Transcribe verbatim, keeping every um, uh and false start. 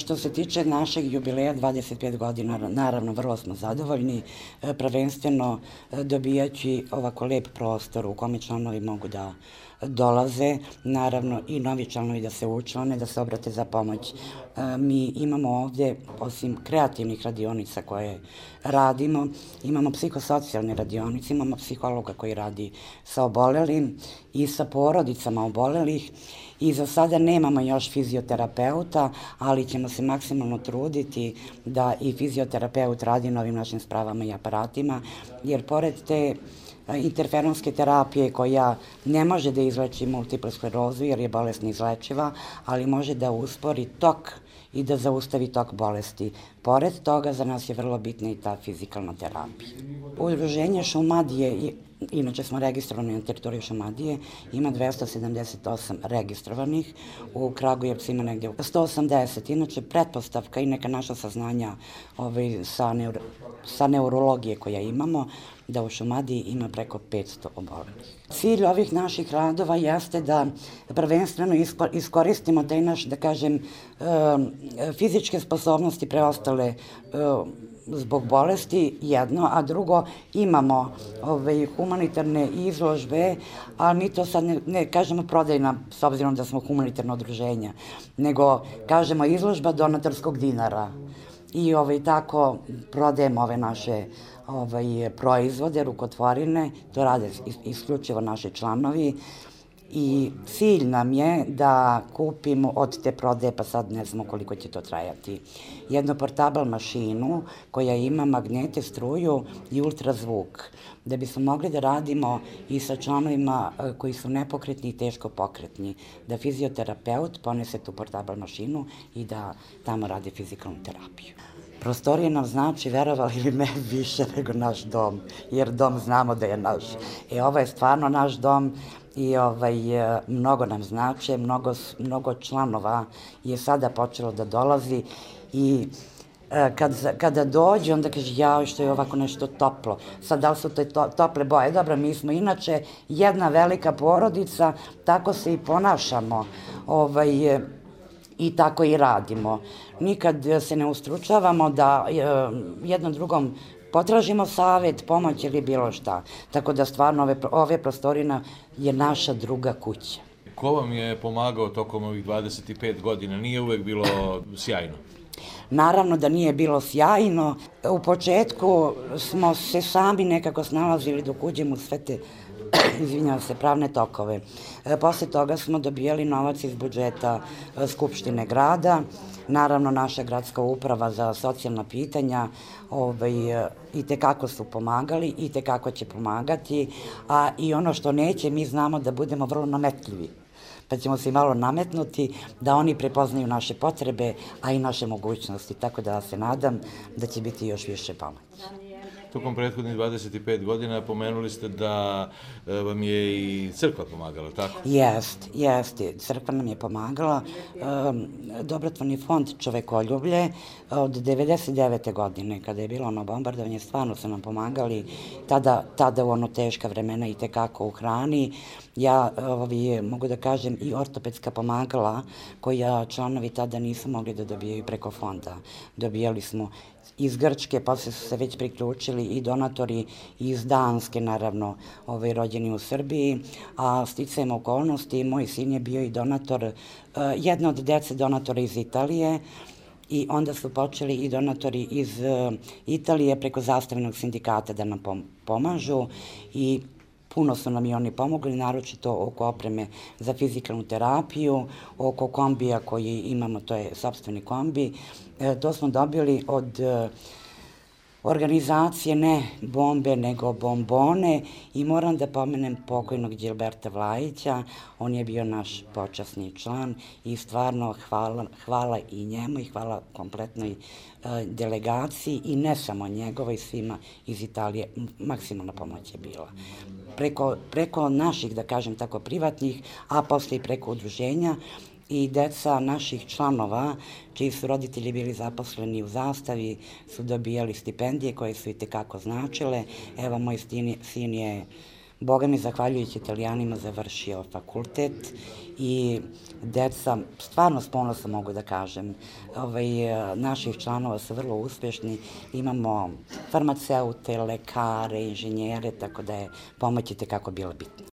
Što se tiče našeg jubileja dvadeset pet godina, naravno vrlo smo zadovoljni, prvenstveno dobijajući ovako lep prostor u kome članovi mogu da dolaze, naravno i novi članovi da se učlane, da se obrate za pomoć. Mi imamo ovde, osim kreativnih radionica koje radimo, imamo psihosocijalne radionice, imamo psihologa koji radi sa obolelim i sa porodicama obolelih i za sada nemamo još fizioterapeuta, ali ćemo se maksimalno truditi da i fizioterapeut radi na ovim našim spravama i aparatima, jer pored te interferonske terapije koja ne može da izleči multiplu sklerozu jer je bolest neizlečiva, ali može da uspori tok i da zaustavi tok bolesti. Pored toga, za nas je vrlo bitna i ta fizikalna terapija. Udruženje Šumadije, inače smo registrovani na teritoriji Šumadije, ima dvesta sedamdeset osam registrovanih, u Kragujevcu ima negde sto osamdeset. Inače, pretpostavka i neka naša saznanja sa neurologije koja imamo, da u Šumadiji ima preko petsto obolelih. Cilj ovih naših radova jeste da prvenstveno iskoristimo taj naš, da kažem, fizičke sposobnosti preostale zbog bolesti, jedno, a drugo imamo humanitarne izložbe, a mi to sad ne kažemo prodajna, s obzirom da smo humanitarno udruženja, nego kažemo izložba donatorskog dinara. I tako prodajemo ove naše proizvode, rukotvorine, to rade isključivo naši članovi i cilj nam je da kupimo od te prodaje, pa sad ne znamo koliko će to trajati, jednu portabal mašinu koja ima magnete, struju i ultrazvuk, da bismo mogli da radimo i sa članovima koji su nepokretni i teško pokretni, da fizioterapeut ponese tu portabal mašinu i da tamo radi fizikalnu terapiju. Prostorije nam znači, verovali ili ne, više nego naš dom, jer dom znamo da je naš. E, ovo je stvarno naš dom i mnogo nam znači, mnogo članova je sada počelo da dolazi i kada dođe, onda kaže, jao, što je ovako nešto toplo. Sad, da li su te tople boje? Dobro, mi smo inače jedna velika porodica, tako se i ponašamo i tako i radimo. Nikad se ne ustručavamo da jednom drugom potražimo savet, pomoć ili bilo šta. Tako da stvarno ove prostorine je naša druga kuća. Ko vam je pomagao tokom ovih dvadeset pet godina? Nije uvek bilo sjajno? Naravno da nije bilo sjajno. U početku smo se sami nekako snalazili dok uđemo u sve te izvinjavam se, pravne tokove. Posle toga smo dobijali novac iz budžeta Skupštine grada, naravno naša gradska uprava za socijalna pitanja i tekako su pomagali i tekako će pomagati, a i ono što neće, mi znamo da budemo vrlo nametljivi, pa ćemo se malo nametnuti da oni prepoznaju naše potrebe, a i naše mogućnosti, tako da se nadam da će biti još više pomoći. Tokom prethodnih dvadeset pet godina pomenuli ste da vam je i crkva pomagala, tako? Jest, jeste. Crkva nam je pomagala. Dobrotvorni fond Čovekoljublje od devedeset devete godine, kada je bilo ono bombardovanje, stvarno su nam pomagali. Tada u ono teška vremena i tekako u hrani. Ja mogu da kažem i ortopedska pomagala koja članovi tada nisu mogli da dobijaju preko fonda. Dobijali smo iz Grčke, posle su se već priključili i donatori iz Danske, naravno, rođeni u Srbiji, a sticajem okolnosti, moj sin je bio i donator, jedna od dece donatora iz Italije, i onda su počeli i donatori iz Italije preko Zastavinog sindikata da nam pomažu i puno su nam i oni pomogli, naročito oko opreme za fizikalnu terapiju, oko kombija koji imamo, to je sopstveni kombi. To smo dobili od organizacije ne bombe, nego bombone i moram da pomenem pokojnog Đilberta Vlajića, on je bio naš počasni član i stvarno hvala i njemu i hvala kompletnoj delegaciji i ne samo njegovoj, svima iz Italije, maksimalna pomoć je bila. Preko naših, da kažem tako, privatnih, a posle i preko udruženja, i deca naših članova, čiji su roditelji bili zaposleni u Zastavi, su dobijali stipendije koje su i tekako značile. Evo, moj sin je Boga mi, zahvaljujući Italijanima, završio fakultet i deca, stvarno s ponosom mogu da kažem, ovaj, naših članova su vrlo uspešni, imamo farmaceute, lekare, inženjere, tako da je pomoć i tekako bila bitna.